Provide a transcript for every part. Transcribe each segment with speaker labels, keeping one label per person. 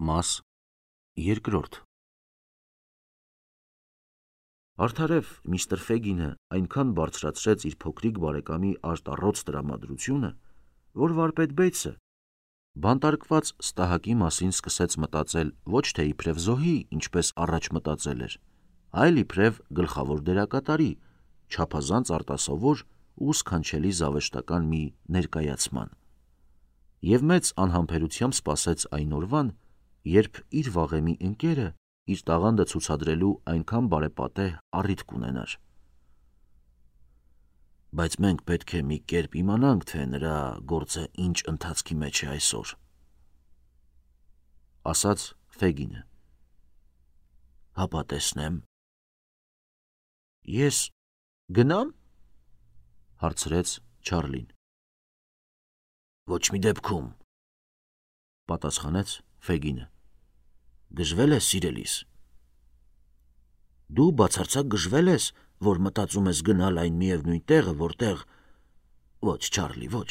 Speaker 1: Մաս երկրորդ Արդարև միստր Ֆեգինը այնքան բարձրացրեց իր փոքրիկ բարեկամի արտառոց տրամադրությունը, որ վարպետ Բեյցը բանտարկված ստահակի մասին սկսեց մտածել ոչ թե իբրև զոհի, ինչպես առաջ մտածել էր, այլ իբրև գլխավոր դերակատարի, չափազանց արտասովոր ու սքանչելի զավեշտական մի ներկայացման, և մեծ անհամբերությամբ սպասեց այն օրվան, երբ իր վաղեմի ընկերը իր տաղանդը ցուցադրելու այնքան բարեպատեհ առիթ կունենար։ Բայց մենք պետք է մի կերպ իմանանք, թե նրա գործը ինչ ընթացքի մեջ է այսօր, ասաց Ֆեգինը։ Հապա տեսնեմ։ Ես գնամ, հարցրեց Չարլին։ Ոչ մի դեպքում, պատասխանեց Ֆեգինը։ Գժվել ես, սիրելիս։ Դու բացարձակ գժվել ես, որ մտածում ես գնալ այն միևնույն տեղը, որտեղ… Ոչ, Չարլի, ոչ։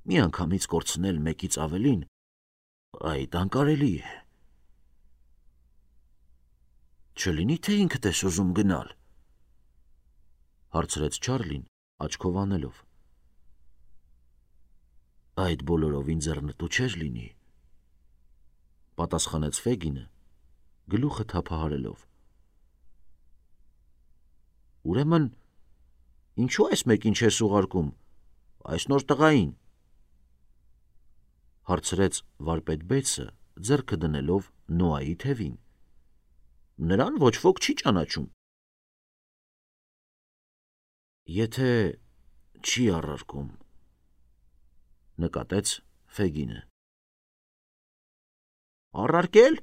Speaker 1: Մի անգամից կորցնել մեկից ավելին, այդ անկարելի է։ Չլինի, թե ինքդ ես ուզում գնալ, հարցրեց Չարլին, աչքով անելով։ Այդ բոլորովին ձեռնտու չէր լինի, պատասխանեց Ֆեգինը, գլուխը թափահարելով։ Ուրեմն, ինչու այս մեկին չես ուղարկում, այս նոր տղային, հարցրեց վարպետ Բեյցը, ձեռքը դնելով Նոայի թևին։ Նրան ոչ ոք չի ճանաչում։ Եթե չի առարկում, նկատեց Ֆեգինը։ Առարկել,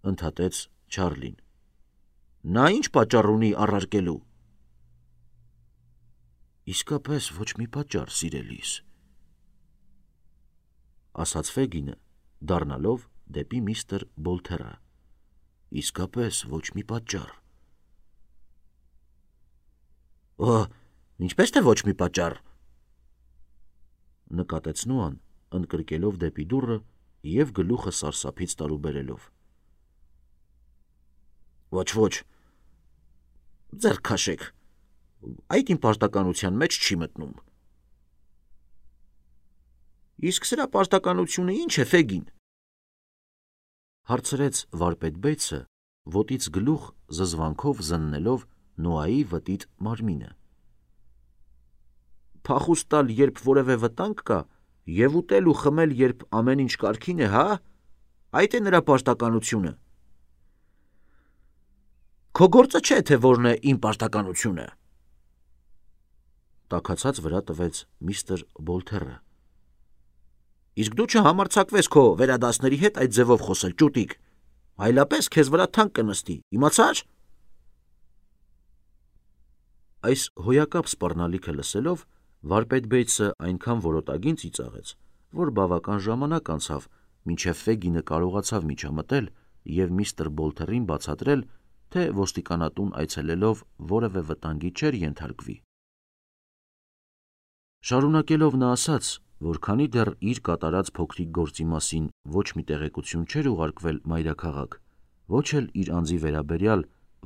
Speaker 1: ընդհատեց Չարլին։ Նա ինչ պատճառ ունի առարկելու։ Իսկապես ոչ մի պատճառ, սիրելիս, ասաց Ֆեգինը, դառնալով դեպի միստր Բոլթերը։ Իսկապես ոչ մի պատճառ։ Ինչպես թե ոչ մի պատճառ, նկատեց Նոան, ընդգրկելով դեպի դուռը և գլուխը սարսափից տարուբերելով։ Ոչ, ձեռք քաշեք, այդ իմ պարտականության մեջ չի մտնում։ Իսկ սրա պարտականությունը ինչ է, Ֆեգին, հարցրեց վարպետ Բեյցը, ոտից գլուխ զզվանքով զննելով Նոայի վտիտ մարմինը։ Փախուստ տալ, երբ որևէ վտանգ կա, և ուտել ու խմել, երբ ամեն ինչ կարգին է, հա՞։ Այդ է նրա պարտականությունը։ Քո գործը չէ, թե որն է իմ պարտականությունը, տաքացած վրա տվեց միստր Բոլթերը։ Իսկ դու չհամարձակվես քո վերադասների հետ այդ ձևով խոսել, ճուտիկ, այլապես քեզ վրա թանկ կնստի, իմացա՞ր։ Այս հոյակապ սպառնալիքը լսելով, վարպետ Բեյցը այնքան որոտագին ծիծաղեց, որ բավական ժամանակ անցավ, մինչև Ֆեգինը կարողացավ միջամտել և միստր Բոլթերին բացատրել, թե ոստիկանատուն այցելելով որևէ վտանգի չէր ենթարկվի։ Շարունակելով նա ասաց, որ քանի դեռ իր կատարած փոքրիկ գործի մասին ոչ մի տեղեկություն չէր ուղարկվել մայրաքաղաք, ոչ էլ իր անձի վերաբերյալ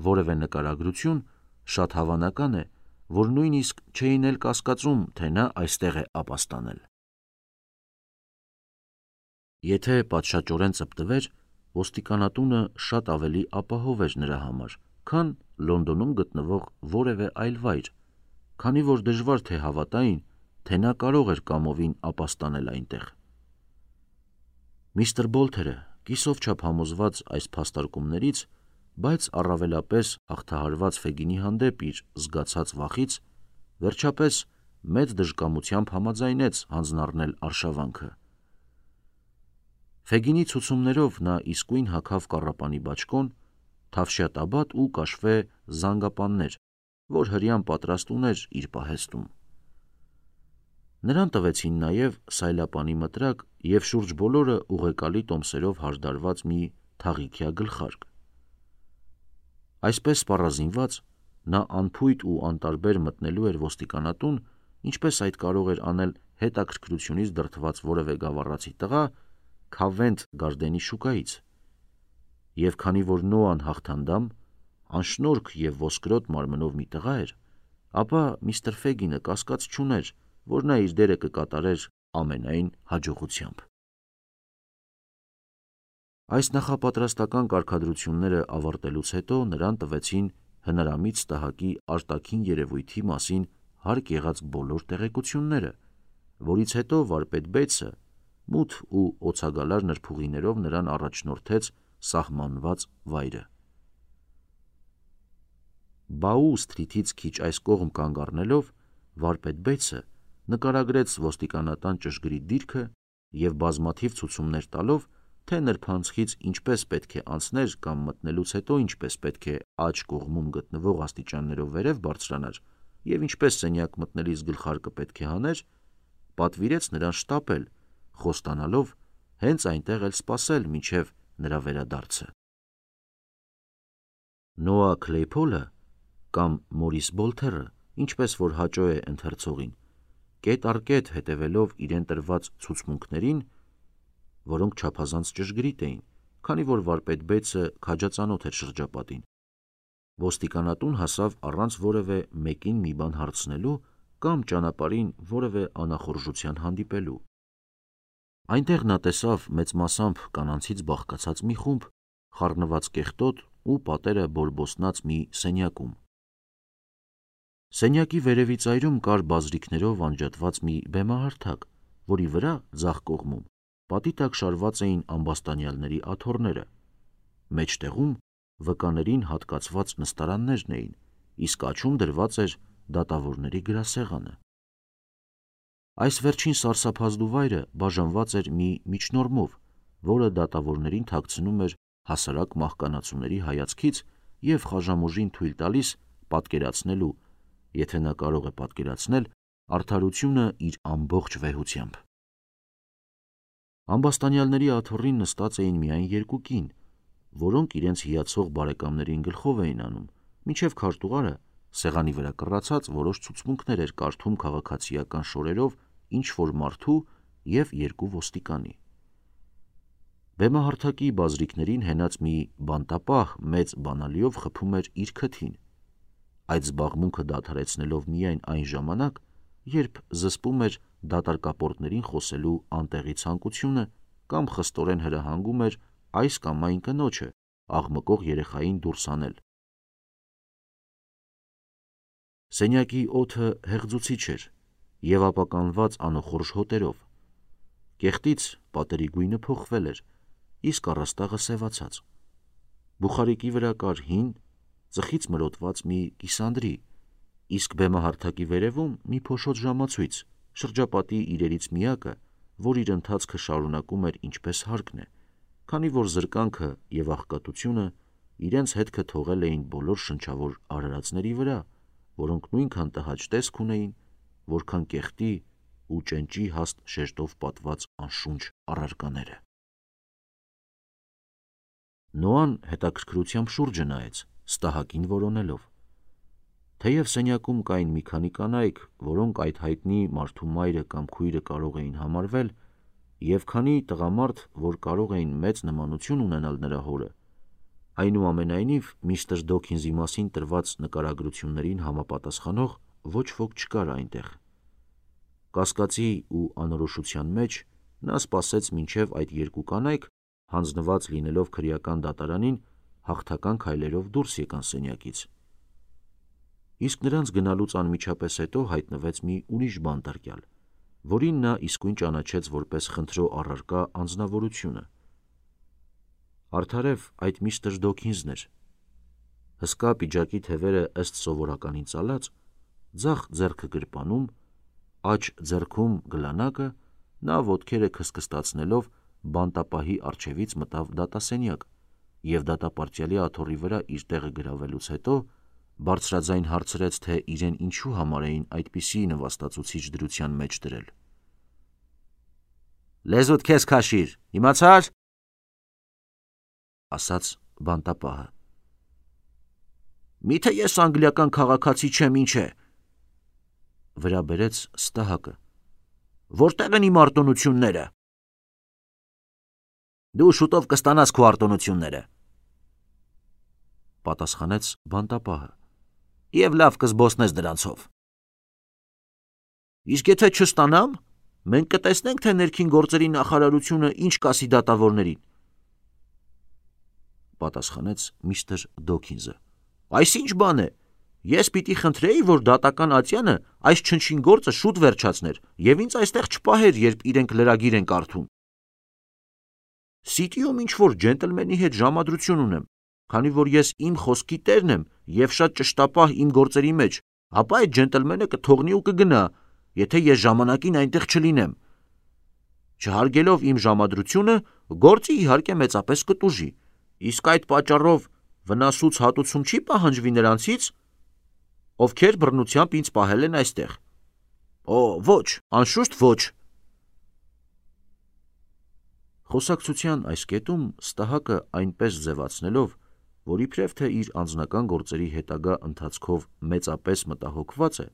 Speaker 1: որևէ նկարագրություն, շատ հավանական է, որ նույնիսկ չէին էլ կասկածում, թե նա այստեղ է ապաստանել։ Եթե պատշաճորեն ծպտվեր, ոստիկանատունը շատ ավելի ապահով էր նրա համար, քան Լոնդոնում գտնվող որևէ այլ վայր, քանի որ դժվար թե հավատային, թե նա կարող էր կամովին ապաստանել այնտեղ։ Միստր Բոլթերը, կիսով չափ համոզված այս փաստարկումներից, բայց առավելապես հաղթահարված Ֆեգինի հանդեպ իր զգացած վախից, վերջապես մեծ դժկամությամբ համաձայնեց հանձնառնել արշավանքը։ Ֆեգինի ցուցումներով նա իսկույն հագավ կառապանի բաճկոն, թավշյա տաբատ ու կաշվե զանգապաններ, որ հրեան պատրաստ ուներ իր պահեստում։ Նրան տվեցին նաև սայլապանի մտրակ և շուրջ բոլորը ուղեկալի տոմսերով հարդարված մի թաղիքյա գլխարկ։ Այսպես սպառազինված, նա անփույթ ու անտարբեր մտնելու էր ոստիկանատուն, ինչպես այդ կարող էր անել հետաքրքրությունից դրդված որևէ գավառացի տղա, Քավենթ Գարդենի շուկայից։ Եվ քանի որ Նոան հաղթանդամ, անշնորհք եւ ոսկրոտ մարմնով մի տղա էր, ապա միստր Ֆեգինը կասկած չուներ, որ նա իր դերը կկատարեր ամենայն հաջողությամբ։ Այս նախապատրաստական կարգադրությունները ավարտելուց հետո նրան տվեցին հնարամիտ ստահակի արտաքին երևույթի մասին հարկ եղած բոլոր տեղեկությունները, որից հետո վարպետ Բեյթսը մութ ու օցագալար նրբուղիներով նրան առաջնորդեց սահմանված վայրը։ Բաու սթրիթից քիչ այս կողմ կանգ առնելով, վարպետ Բեյթսը նկարագրեց ոստիկանատան ճշգրիտ դիրքը եւ բազմաթիվ ցուցումներ տալով, թե նրբանցքից ինչպես պետք է անցներ կամ մտնելուց հետո ինչպես պետք է աջ կողմում գտնվող աստիճաններով վերև բարձրանար եւ ինչպես սենյակ մտնելիս գլխարկը պետք է հաներ, պատվիրեց նրան շտապել, խոստանալով հենց այնտեղ էլ սպասել մինչև նրա վերադարձը։ Նոա Քլեյփոլը կամ Մորիս Բոլթերը, ինչպես որ հաճո է ընթերցողին, կետ առ կետ հետևելով իրեն տրված ցուցմունքներին, որոնք չափազանց ճշգրիտ էին, քանի որ վարպետ Բեյթսը քաջածանոթ էր շրջապատին, ոստիկանատուն հասավ առանց որևէ մեկին մի բան հարցնելու կամ ճանապարհին որևէ անախորժության հանդիպելու։ Այնտեղ նա տեսավ մեծ մասամբ կանանցից բաղկացած մի խումբ, խառնված կեղտոտ ու պատերը բորբոսնած մի սենյակում։ Սենյակի վերևի ծայրում կար բազրիքներով անջատված մի բեմահարթակ, որի վրա ձախ կողմում պատի տակ շարված էին ամբաստանյալների աթոռները, մեջտեղում վկաներին հատկացված նստարաններն էին, իսկ աջում դրված էր դատավորների գրասեղանը։ Այս վերջին սարսափազդու վայրը բաժանված էր մի միջնորմով, որը դատավորներին թաքցնում էր հասարակ մահկանացուների հայացքից եւ խաժամուժին թույլ տալիս պատկերացնելու, եթե նա կարող է պատկերացնել, արդարությունը իր ամբողջ վեհությամբ։ Ամբաստանյալների աթոռին նստած էին միայն երկու կին, որոնք իրենց հիացող բարեկամներին գլխով էին անում, մինչև քարտուղարը սեղանի վրա կռացած որոշ ցուցմունքներ էր կարդում քաղաքացիական շորերով ինչ-որ մարդու եւ երկու ոստիկանի։ Բեմահարթակի բազրիքներին հենած մի բանտապահ մեծ բանալիով խփում էր իր քթին, այդ զբաղմունքը դադարեցնելով միայն այն ժամանակ, երբ զսպում էր դատարկապորտներին խոսելու անտեղի ցանկությունը կամ խստորեն հրահանգում էր այս կամ այն կնոջը աղմկող երեխային դուրս անել։ Սենյակի օդը հեղձուցիչ էր եւ ապականված անոխորժ հոտերով։ Կեղտից պատերի գույնը փոխվել էր, իսկ առաստաղը սևացած։ Բուխարիկի վրա կար հին, ծխից մրոտված մի կիսանդրի, իսկ բեմահարթակի վերևում մի փոշոտ ժամացույց, շրջապատի իրերից միակը, որ իր ընթացքը շարունակում էր ինչպես հարկն է, քանի որ զրկանքը եւ աղքատությունը իրենց հետքը թողել էին բոլոր շնչավոր արարածների վրա, որոնք նույնքան տհաճ տեսք ունեին, որքան կեղտի ու ճենճի հաստ շերտով պատված անշունչ առարկաները։ Նոան հետաքրքրությամբ շուրջը նայեց, ստահակին որոնելով։ Թեև սենյակում կային մի քանի կանայք, որոնք այդ հայտնի մարդու մայրը կամ քույրը կարող էին համարվել, եւ քանի տղամարդ, որ կարող էին մեծ նմանություն ունենալ նրա հորը, այնուամենայնիվ միստր Դոքինզի մասին տրված նկարագրություններին համապատասխանող ոչ ոք չկար այնտեղ։ Կասկածի ու անորոշության մեջ նա սպասեց մինչև այդ երկու կանայք, հանձնված լինելով քրեական դատարանին, հաղթական քայլերով դուրս եկան սենյակից։ Իսկ նրանց գնալուց անմիջապես հետո հայտնվեց մի ուրիշ բանտարկյալ, որին նա իսկույն ճանաչեց որպես խնդրո առարկա անձնավորությունը։ Արդարև այդ միստր Դոքինզն էր։ Հսկա պիջակի թևերը ըստ սովորականին ծալած, ձախ ձեռքը գրպանում, աջ ձեռքում գլանակը, նա ոտքերը քստքստացնելով բանտապահի առջևից մտավ դատասենյակ եւ դատապարտյալի աթոռի վրա իր տեղը գրավելուց հետո բարձրաձայն հարցրեց, թե իրեն ինչու համար էին այդպիսի նվաստացուցիչ դրության մեջ դրել։ «Լեզուդ քեզ քաշիր, իմացա՞ր», ասաց բանտապահը։ «Միթե ես անգլիական քաղաքացի չեմ, ինչ է», վրա բերեց ստահակը։ «Որտեղ են իմ արտոնությունները»։ Դու շուտով կստանաս քո արտոնությունները, պատասխանեց բանտապահը, եւ լավ կզբոսնես դրանցով։ Իսկ եթե չստանամ, մենք կտեսնենք, թե ներքին գործերի նախարարությունը ինչ կասի դատավորներին, պատասխանեց միստր Դոքինզը։ Այս ինչ բան է։ Ես պիտի խնդրեի, որ դատական ատյանը այս չնչին գործը շուտ վերջացներ եւ ինձ այստեղ չպահեր, երբ իրենք լրագիր են կարդում։ Սիտիում ինչ-որ ջենտլմենի հետ ժամադրություն ունեմ, քանի որ ես իմ խոսքի տերն եմ եւ շատ ճշտապահ իմ գործերի մեջ, ապա այդ ջենտլմենը կթողնի ու կգնա, եթե ես ժամանակին այնտեղ չլինեմ։ Չհարգելով իմ ժամադրությունը, գործը իհարկե մեծապես կտուժի, իսկ այդ պատճառով վնասուց հատուցում չի պահանջվի նրանցից, ովքեր բռնությամբ ինձ պահել են այստեղ։ Օ, ոչ, անշուշտ ոչ։ Խոսակցության այս կետում Ստահակը այնպես ձևացնելով, որ իբրև թե իր անձնական գործերի հետագա ընթացքով մեծապես մտահոգված է,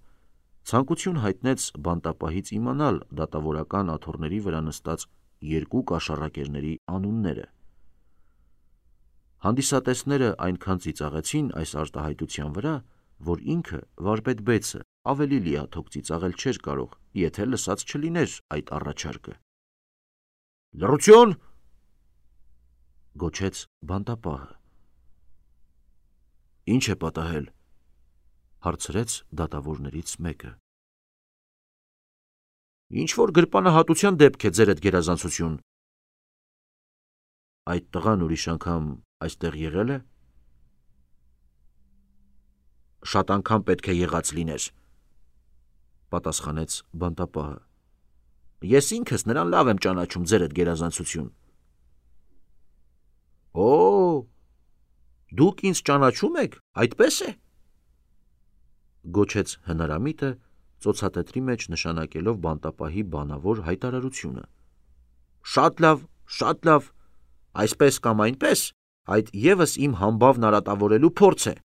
Speaker 1: ցանկություն հայտնեց բանտապահից իմանալ դատավորական աթոռների վրա նստած երկու կաշառակերների անունները։ Հանդիսատեսները այնքան ծիծաղեցին այս արտահայտության վրա, որ ինքը վարպետ Բեյցը ավելի լիաթոք ծիծաղել չէր կարող, եթե լսած չլիներ այդ առաջարկը։ Լռություն, գոչեց բանտապահը։ Ինչ է պատահել, հարցրեց դատավորներից մեկը։ Ինչ որ գրպանահատության դեպք է, ձերդ գերազանցություն։ Այդ տղան ուրիշ անգամ այստեղ եղել է։ Շատ անգամ պետք է եղած լիներ, պատասխանեց բանտապահը։ Ես ինքս նրան լավ եմ ճանաչում, ձերդ գերազանցություն։ Օ, դուք ինձ ճանաչում եք, այդպես է, գոչեց հնարամիտը, ծոցատետրի մեջ նշանակելով բանտապահի բանավոր հայտարարությունը։ Շատ լավ, այսպես կամ այնպես, այդ եւս իմ համբավն արատավորելու փորձ է։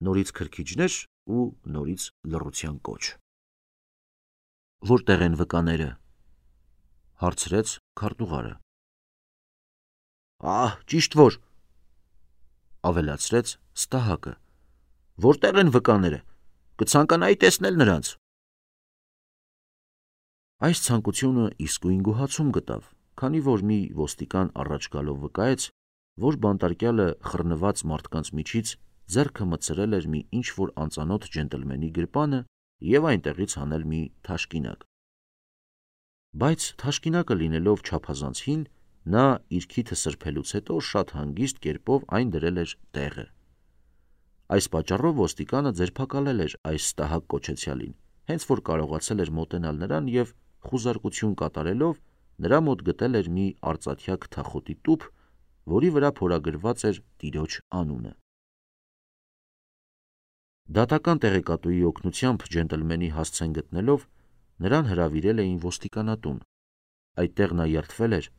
Speaker 1: Նորից քրքիջներ ու նորից լռության կոչ։ Որտեղ են վկաները, հարցրեց քարտուղարը։ Ահ, ճիշտ որ, ավելացրեց Ստահակը։ Որտեղ են վկաները, կցանկանայի տեսնել նրանց։ Այս ցանկությունը իսկույն գոհացում գտավ, քանի որ մի ոստիկան առաջ գալով վկայեց, որ բանտարկյալը խռնված մարդկանց միջից ձեռքը մտցրել էր մի ինչ-որ անծանոթ ջենտլմենի գրպանը եւ այնտեղից հանել մի թաշկինակ։ Բայց թաշկինակը լինելով չափազանց հին, նա իր քիթը սրբելուց հետո շատ հանգիստ կերպով այն դրել էր տեղը։ Այս պատճառով ոստիկանը ձերբակալել էր այս Ստահակ կոչեցյալին, հենց որ կարողացել էր մոտենալ նրան եւ խուզարկություն կատարելով նրա մոտ գտել էր մի արծաթյա քթախոտի տուփ, որի վրա փորագրված էր տիրոջ անունը։ Դատական տեղեկատուի օգնությամբ ջենտլմենի հասցեն գտնելով նրան հրավիրել էին ոստիկանատուն։ Այդտեղ նա երդվել էր,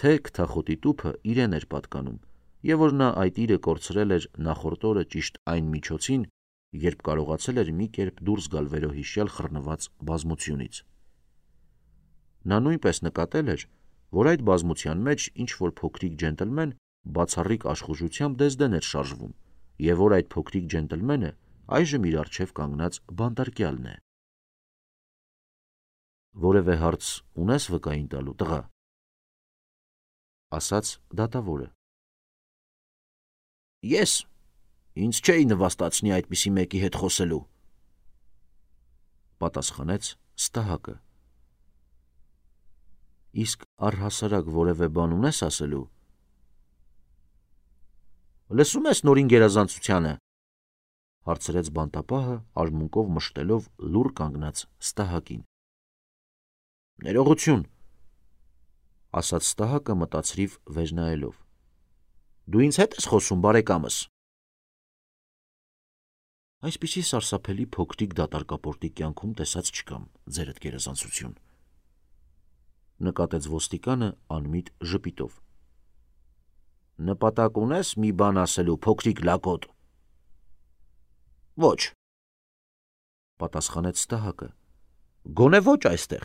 Speaker 1: թե քթախոտի տուփը իրեն էր պատկանում եւ որ նա այդ իրը կորցրել էր նախորդ օրը ճիշտ այն միջոցին, երբ կարողացել էր մի կերպ դուրս գալ վերոհիշյալ խռնված բազմությունից։ Նա նույնպես նկատել էր, որ այդ բազմության մեջ ինչ-որ փոքրիկ ջենտլմեն բացառիկ աշխուժությամբ դեզդեն էր շարժվում եւ որ այդ փոքրիկ ջենտլմենը այժմ իր առջև կանգնած բանտարկյալն է։ Որևէ հարց ունես վկային տալու, տղա, ասաց դատավորը։ Ես ինձ չէի նվաստացնի այդպիսի մեկի հետ խոսելու, պատասխանեց Ստահակը։ Իսկ առհասարակ որևէ բան ունես ասելու։ Լսում ես նորին գերազանցությանը, հարցրեց բանտապահը արմունկով մշտելով լուռ կանգնած Ստահակին։ Ներողություն, ասաց Ստահակը մտածրիվ վեր նայելով։ Դու ինձ հետ ես խոսում, բարեկամս։ Այսպիսի սարսափելի փոքրիկ դատարկապորտի կյանքում տեսած չկամ, ձերդ գերազանցություն, նկատեց ոստիկանը անմիտ ժպիտով։ Նպատակ ունես մի բան ասելու, փոքրիկ լակոտ։ Ոչ, պատասխանեց Ստահակը։ Գոնե ոչ այստեղ,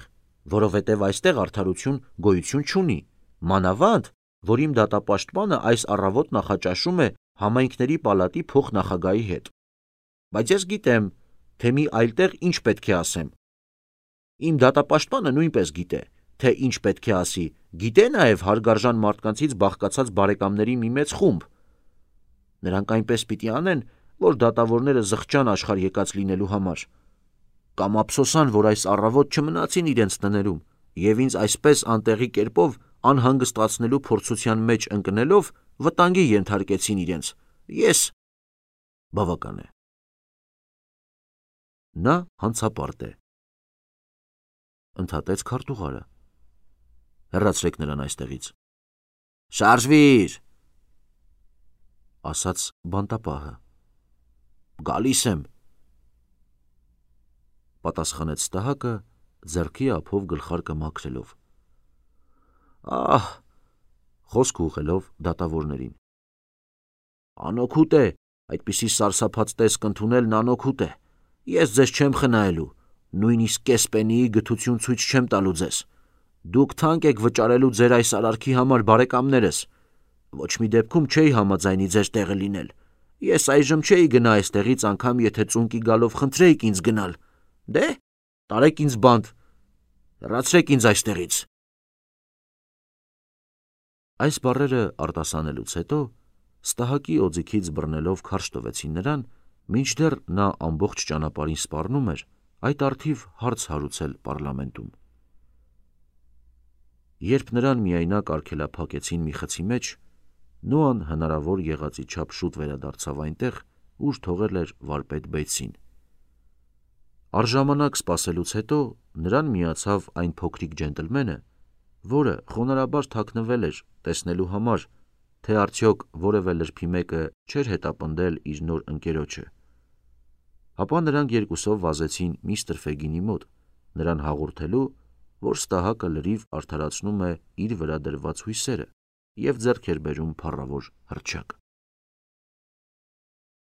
Speaker 1: որովհետև այստեղ արդարություն գոյություն չունի, Մանավանդ, որ իմ դատապաշտպանը այս առավոտ նախաճաշում է համայնքների պալատի փոխնախագահի հետ։ Բայց ես գիտեմ, թե մի այլտեղ ինչ պետք է ասեմ։ Իմ դատապաշտպանը նույնպես գիտե, թե ինչ պետք է ասի, գիտե նաև հարգարժան մարդկանցից բաղկացած բարեկամների մի մեծ խումբ։ Նրանք այնպես պիտի անեն, որ դատավորները զղջան աշխարհ եկած լինելու համար։ Կամ ափսոսան, որ այս առավոտ չմնացին իրենց տներում, եւ ինձ այսպես անտեղի կերպով անհանգստացնելու փորձության մեջ ընկնելով վտանգի ենթարկեցին իրենց։ Ես բավական է։ Նա հանցապարտ է։ Ընդհատեց քարտուղարը։ Հեռացրեք նրան այստեղից։ Շարժվիր, ասաց բանտապահը։ Գալիս եմ, պատասխանեց Ստահակը ձեռքի ափով գլխարկը մաքրելով։ Ահ, խոսք ուղղելով դատավորներին։ Անօգուտ է, այդպիսի սարսափած տեսք ընդունելն անօգուտ է։ Ես ձեզ չեմ խնայելու, նույնիսկ կես պենիի գթություն ցույց չեմ տալու ձեզ։ Դուք թանկ եք վճարելու ձեր այս արարքի համար, բարեկամներս։ Ոչ մի դեպքում չէի համաձայնի ձեր տեղը լինել։ Ես այժմ չէի գնա այստեղից անգամ եթե ծունկի գալով խնդրեիք ինձ գնալ։ Դե, տարեք ինձ բանտ, հեռացրեք ինձ այստեղից։ Այս բառերը արտասանելուց հետո Ստահակի օձիքից բռնելով քարշ տվեցին նրան, մինչդեռ նա ամբողջ ճանապարհին սպառնում էր այդ առթիվ հարց հարուցել պարլամենտում։ Երբ նրան միայնակ արգելափակեցին մի խցի մեջ, Նոան հնարավոր եղածի չափ շուտ վերադարձավ այնտեղ, ուր թողել էր վարպետ Բեյթսին։ Առժամանակ սպասելուց հետո նրան միացավ այն փոքրիկ ջենտլմենը, որը խոնարհաբար թաքնվել էր տեսնելու համար, թե արդյոք որևէ լրբի մեկը չէր հետապնդել իր նոր ընկերոջը։ Ապա նրանք երկուսով վազեցին միստր Ֆեգինի մոտ, նրան հաղորդելու, որ Ստահակը լրիվ արդարացնում է իր վրա դրված հույսերը և ձեռք էր բերում փառավոր հռչակ։